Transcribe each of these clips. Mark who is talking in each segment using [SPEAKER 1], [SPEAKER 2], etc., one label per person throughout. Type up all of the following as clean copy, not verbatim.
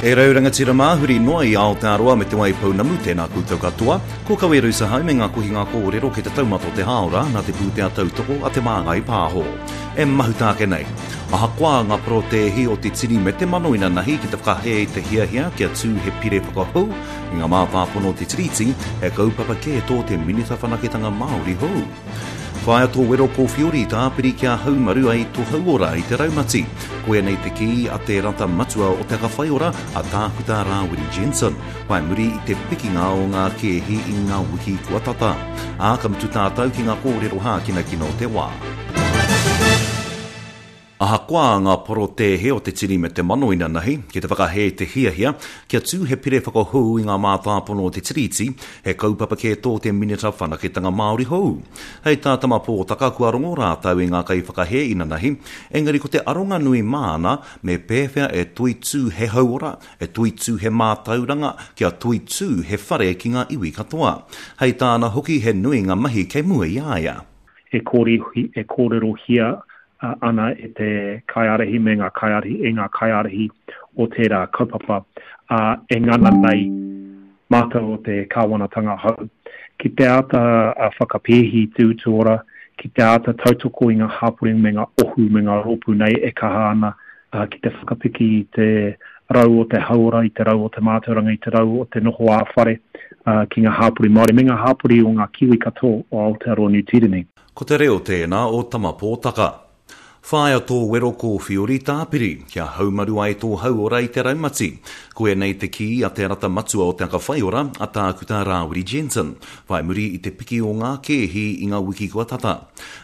[SPEAKER 1] E rau rangatira mā, huri noa i Aotearoa me Te Waipounamu, tēnā koutou katoa. Ko Kawe Rusahau me ngā kohinga kōrero kei te taumata o te hāora nā te pūtea tautoko a Te Māngai Pāho. E mahuta ake nei. Ahakoa ngā porotēhi o te tini me te mano inanahi ki te whakahē i te hiahia kia tū he pire whakahou i ngā mātāpono o te Tiriti, he kaupapa kē tō te Minita Whanaketanga Māori hou. Whāia tō wero kōwhiori tāpiri kia haumaru ai tō hauora i te raumati. Koia nei te kī a te rata matua o Te Aka Whaiora, a Tākuta Rāwiri Jensen, whai muri i te pikinga o ngā kēhi i ngā wiki kua tata. Ā, ka mutu tātou ki ngā kōrero hākinakina o te wā. Ahakoa ngā porotēhe o te tini me te mano inanahi, ki te whakahē te hiahia kia tū he pire whakahou i ngā mātāpono o te Tiriti, he kaupapa kē tō te Minita Whanaketanga Māori hou. Hei tā Tama Pōtaka kua rongo rātou i ngā kaiwhakahē inanahi, engari ko te aronga nui māna me pēwhea e toitū he hauora, e toitū he mātauranga, kia toitū he whare ki ngā iwi katoa. Hei tāna hoki he nui ngā mahi kei mua i a ia.
[SPEAKER 2] E kōrerohia ana e te kaiārahi me ngā kaiārahi, e ngā kaiārahi o tērā kaupapa, ā, e ngana nei mātou o te kāwanatanga hou ki te āta whakapēhi i te utu ora, ki te āta tautoko i ngā hapori me ngā ohu me ngā rōpū nei e kaha ana ki te whakapiki i te rau o te hauora, i te rau o te mātauranga, i te rau o te noho ā-whare ki ngā hapori Māori me ngā hapori o ngā Kiwi katoa o Aotearoa Niu Tīreni.
[SPEAKER 1] Ko te reo tēnā o Tama Pōtaka. Whāia tō wero kōwhiori tāpiri, kia haumaru ai tō hauora i te raumati. Koianei te kī a te rata matua o Te Aka Whaiora, a Tākuta Rāwiri Jensen, whai muri i te piki o ngā kēhi i ngā wiki kua tata.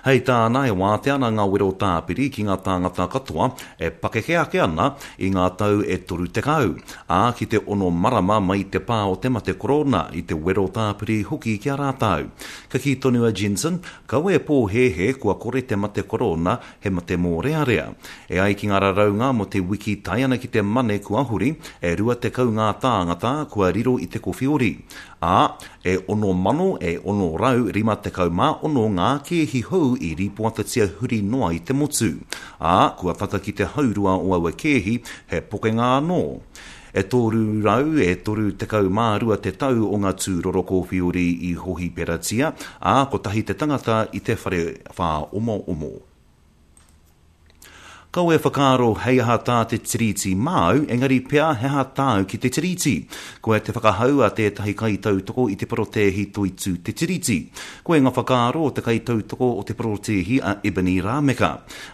[SPEAKER 1] Hei tāna e wātea ana ngā wero tāpiri ki ngā tāngata katoa e pakeke ake ana i ngā tau e 30, ā, ki te ono marama mai i te pā o te mate korona, i te wero tāpiri hoki ki a rātou. Ka kī tonu a Jensen, kaua e pōhēhē kua kore te mate korona he mate mōrearea. E ai ki ngā raraunga mō te wiki tae ana ki te Mane kua huri, e 20 ngā tāngata kua riro i te kowhiori. Ā, e ono mano e 656 ngā kēhi hou i rīpoatatia huri noa i te motu. Ā, kua tata ki te haurua o aua kēhi, he pokenga anō. E toru rau e 32 te tau o nga tūroro kōwhiori i hohiperatia, ā, kotahi te tangata i te whare whāomoomo. Kaua e whakaaro hei aha tā te Tiriti māu, engari pea he aha tāu ki te Tiriti. Koia te whakahau a tētahi kaitautoko i te porotēhi Toitū Te Tiriti. Koia nga whakaaro o te kaitautoko o te porotēhi a Ebony Rameka.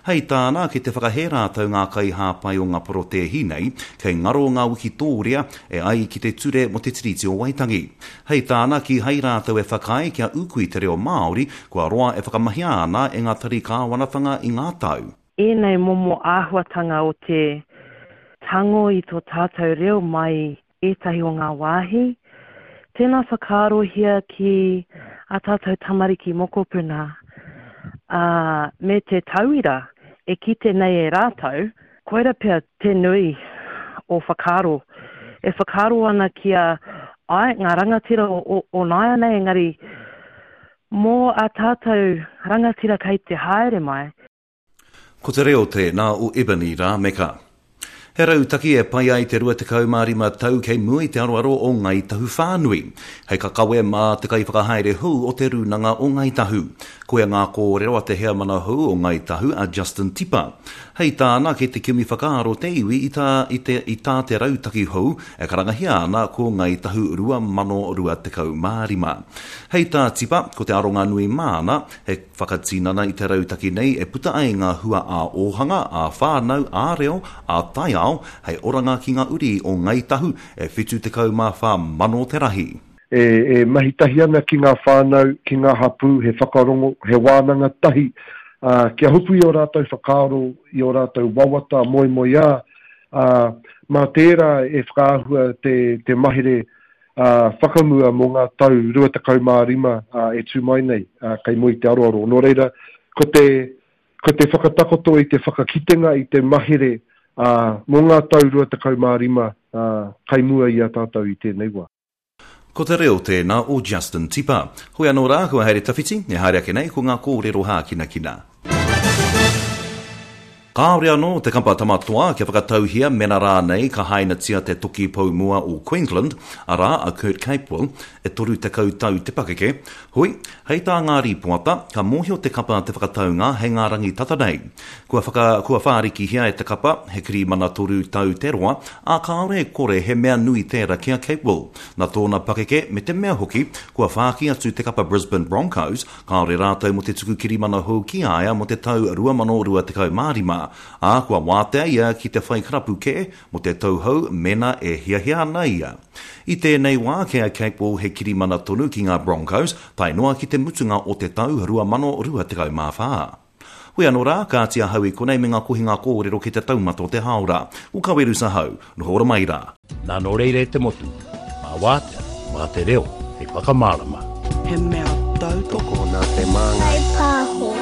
[SPEAKER 1] Hei tāna, kei te whakahē rātou ngā kaihāpai o ngā porotēhi nei, kei ngaro ngā wikitōria e ai ki te ture mō te Tiriti o Waitangi. Hei tāna, kīhai rātou e whakaae kia ūkui te reo Māori, kua roa e whakamahia ana e ngā tari kāwanatanga i ngā tau.
[SPEAKER 3] Ēnei momo āhuatanga o te tango i tō tātou reo mai ētahi o ngā wāhi. Tēnā whakaarohia ki ā tātou tamariki mokopuna, ā, me te tauira e kite nei e rātou, koira pea te nui o whakaaro. E whakaaro ana ki a, āe, ngā rangatira o, o nāianei, engari mō ā tātou rangatira kei te haere mai,
[SPEAKER 1] Ko te reo tēnā o Ebony Rāmeka. He rautaki e pai ai te 25 tau kei mua i te aroaro o Ngāi Tahu whānui, hei kakawe mā te kaiwhakahaere hou o Te Rūnanga o Ngāi Tahu. Koia ngā kōrero a te heamana hou o Ngāi Tahu a Justin Tipa. Hei tāna, kei te kimi whakaaro te iwi i tā i te i tā te rautaki hou e karangahia ana ko Ngāi Tahu 2025. Hei tā Tipa, ko te aronga nui māna, he Whakatinana i te rautaki nei e puta ai ngā hua ā-ōhanga, ā-whānau, ā-reo, ā-taiao hei oranga ki ngā uri o Ngāi Tahu e 74 mano te rahi.
[SPEAKER 4] E mahi tahi ana ki ngā whānau, ki ngā hapū, he whakarongo, he wānanga tahi, ā, kia hopu i ō rātou whakaaro, i ō rātou wawata, moemoeā, ā, mā tērā e whakaahua te, te mahere whakamua mō ngā tau 25 e tū mai nei kei mua i te aroaro. Nō reira, ko te, ko te whakatakoto i te whakakitenga i te mahere mō ngā tau 25 kei mua i a tātou i tēnei wā.
[SPEAKER 1] Ko te reo tēnā o Justin Tipa. Hoi anō rā, kua haere tawhiti, e haere ake nei ko ngā kōrero hākinakina. Kāore anō te kapa Tama Toa kia whakatauhia mena rānei ka hainatia te toki pou mua o Queensland, arā, a Kurt Capewell, e 30 tau te pakeke. Hoi, hei tā ngā rīpoata, ka mōhio te kapa te whakataunga hei ngā rangi tata nei. Kua whaka, kua whārikihia e te kapa, he kirimana toru tau te roa, ā, kāore e kore he mea nui tērā ki a Capewell. Nā tōna pakeke me te mea hoki, kua whāki atu te kapa Brisbane Broncos, Kāore rātou mō te tuku kirimana hou ki a ia mō te tau 2025, ā, kua wātea ia ki te whai karapu kē mō te tau hou mēnā e hiahia ana ia. I tēnei wā, kei a Capewell he kirimana tonu ki ngā Broncos, tae noa ki te mutunga o te tau 2024. Hoi anō rā, kāti ahau i konei me ngā kohinga kōrero ki te taumata o te hāora. Ko Kawerus ahau. Noho ora mai rā.
[SPEAKER 5] Nā nō reira e te motu, mā wātea, mā te reo hei whakamārama.
[SPEAKER 6] He mea tautoko
[SPEAKER 7] nā te Māngai.
[SPEAKER 8] Pāho.